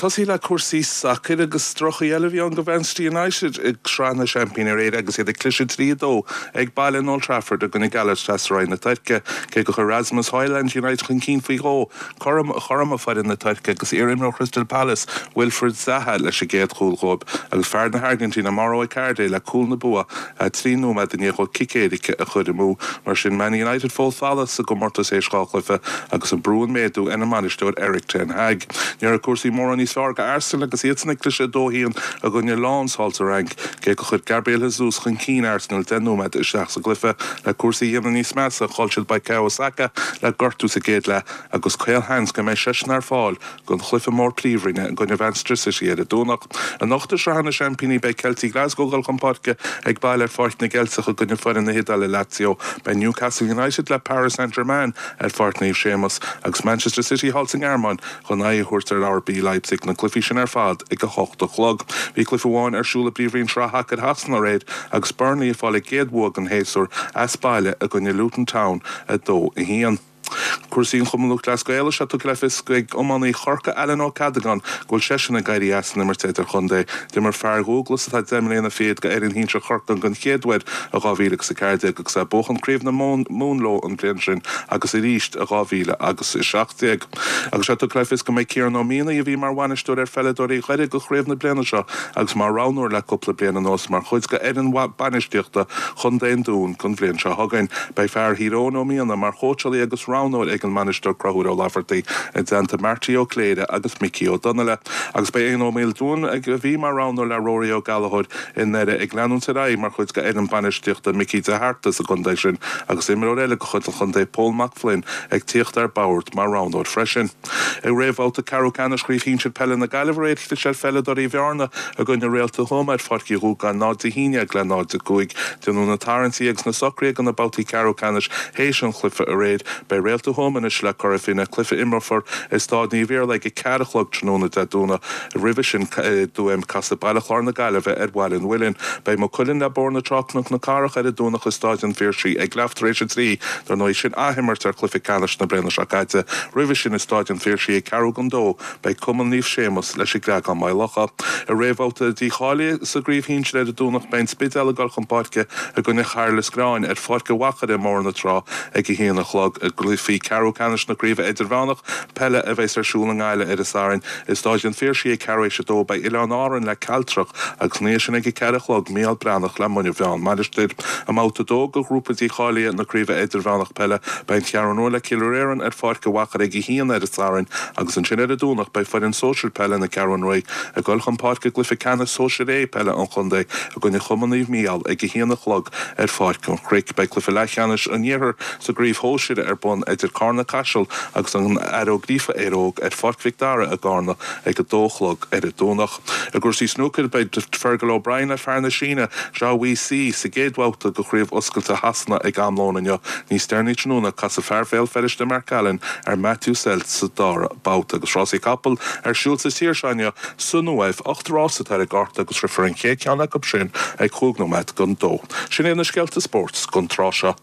tosaí le cúrsaí sacair agus droch-chaoi eile a bhí ann do Mhanchester United i Sraith na Seaimpíní aréir agus iad ag cliseadh 3-2 ag baile in Old Trafford i gcoinne Galatasaray na Tuirce. Cé gur chuir Rasmus Højlund United chun cinn faoi dhó, chothromaigh foireann na Tuirce agus iar-imreoir Chrystal Palace, Wilfried Zaha leis an gcéad chúl dhóibh agus fear na hAirgintíne Mauro Icardi le cúl na bua 3 nóiméad i ndiaidh dhó cic éirice a chur amú. Mar sin, Man United fós folamh sa gcomórtas théis 2 chluiche agus an brú ag méadú ar an mbainisteoir Erik ten Hag. Ní raibh cúrsaí mórán níos fearr do Arsenal agus iadsan ag cliseadh 2-1 i gcoinne Lens thall sa Fhrainc, cé gur chuir Gabriel Jesus chun cinn Arsenal 10 nóiméad isteach sa gcluiche. Le cúrsaí a dhéanamh níos measa, chaill siad Bukayo Saka le gortú sa gcéad leath agus caolsheans go mbeidh seisean ar fáil don chluiche mór Príomhroinne i gcoinne Mhanchester City ar an Domhnach. Anocht i Sraith na Seaimpíní beidh Ceiltigh Glasgow ag dul chun páirce ag baile ar Pháirc na gCeilteach i gcoinne foireann na hIodáile Lazio. Beidh Newcastle United le Paris Saint-Germain ar Pháirc Naomh Séamus agus Manchester City thall sa nGearmáin chun aghaidh a thabhairt ar RB Leipzig, na cluichí sin ar fad ag 8 a chlog. Bhí cluiche amháin ar siúl i bPríomhroinn Shraith Shacair Shasana aréir agus Burnley ag fáil a gcéad bhua den shéasúr as baile i gcoinne Luton Town 2, 1. Cúrsaí an Chumann Lúthchleas Gael Tá sé tugtha le fios ag iománaí Chorcaí Alan Ó Ceadagáin go bhfuil seisean ag éirí as an imirt idirchontae. D'imir fear Dhúglas atá 10 mbliana fichead do fhoireann shinsir Chorcaí den chéad uair i 2014 agus é ag buachan Craobh na Mumhan leo an bhliain sin agus arís i 2017. Agus sé tugtha le fios go mbeidh Ciarán Ó Mianaigh, a bhí mar bhainisteoir ar pheileadóirí Dhoire do chraobh na bliana seo agus mar roghnóir le cúpla bliain anuas, mar chuid de fhoireann bainistíochta Chontae an Dúin don bhliain seo chugainn. Beidh fear Thír Eoghain Ó Mianaigh mar chóitseálaí agus roghnóir ag an mbainisteoir Conchúr Ó Laifeartaigh i dteannta Marty Ó Cléire agus Micí Ó Donnaile. Agus beidh Éanna Ó Maoldúin, a bhí mar roghnóir le Rory Ó Gallchóir i nDoire, ag leanúint ar aghaidh mar chuid de fhoireann bainistíochta Mickey de hArta sa gcontae sin agus imreoir eile de chuid an chontae Pól Mac Floinn ag tíocht ar bord mar roghnóir freisin. I réamhbhabhta ceathrú ceannais Chraobh Shinsir Peile na Gaillimhe aréir chlis ar pheileadóirí Bhearna i gcoinne Réalta Thuama ar Pháirc Uí Dhúgáin 0-11 le 0-5. Déanadh na tarraingtí agus na socruithe do na babhtaí ceathrú ceannais théis an chluiche aréir. Beidh Réalta Thuama anois le Cora Finne, cluiche a imreofar i Stáid Naomh Iarlaith ag 4 a chlog tráthnóna Dé Domhnaigh. Roimhe sin i dTuaim, casfaidh Baile Chláir na Gaillimhe ar Bhaile an Mhuilinn. Beidh Maigh Cuilinn le Bóthar na Trá Cnoc na Cathrach ar an Domhnach i Stáid an Phiarsaigh ag leath tar éis a 3. Dar ndóigh, sin athimirt ar chluiche ceannais na bliana seo caite. Roimhe sin i Stáid an Phiarsaigh ag ceathrú don dó, beidh Cumann Naomh Séamus leis an gCreagán Maigh Locha. I réamhbhabhta dícháilithe sa gcraobh shinsir ar an Domhnach beidh an Spidéal ag dul chun páirce i gcoinne Chairl Lios Gréáin ar Pháirc an Mhachaire i mBóthar na Trá ag a haon a chlog. I gcluichí ceathrú ceannais na craoibhe idirmheánach peile a bheas ar siúl i nGaillimh ar an Satharn i Stáid an Phiarsaigh ag ceathrú éis a dó beidh Oileáin Árann le Cealtrach agus ina dhiaidh sin ag a 4 a chlog Mícheál Breathnach le Muine Mheá Mainistir. I mbabhta 2 de ghrúpa dícháilithe na Craoibhe Idirmheánach Peile beidh an Cheathrú Rua le Cill Réarann ar Pháirc an Mhachaire ag a haon ar an Satharn agus ansin ar an Domhnach beidh foireann sóisir peile na Ceathrún Rua ag dul chun páirce i gcluiche ceannais Sóisir A peile an chontae i gcoinne Chumann Naomh Mícheál ag a haon a chlog ar Pháirc an Chnoic. Beidh cluiche leathcheannais an Iarthair sa gcraobh shóisir ar bun idir Cárna Caiseal agus an Fhear Ó Gríofa Éire Óg ar Pháirc Mhic Dara i gCárna ag a dó a chlog ar an Domhnach. I gcúrsaí snúcair, beidh Fergal O'Brien le fear na Síne, Zhao Wei Si, sa gcéad bhabhta de Chraobh Oscailte Shasana ag am lóin inniu. Níos deireanaí tráthnóna, casfaidh fear Bhéal Feirste Mark Allen ar Matthew Selt sa dara babhta. Agus rásaí capall ar siúl sa tír seo inniu san Uaimh, 8 rás atá ar an gcárta agus rithfear an chéad cheann acu sin ag chúig nóiméad don dó. Sin iad na scéalta spóirt don tráth seo.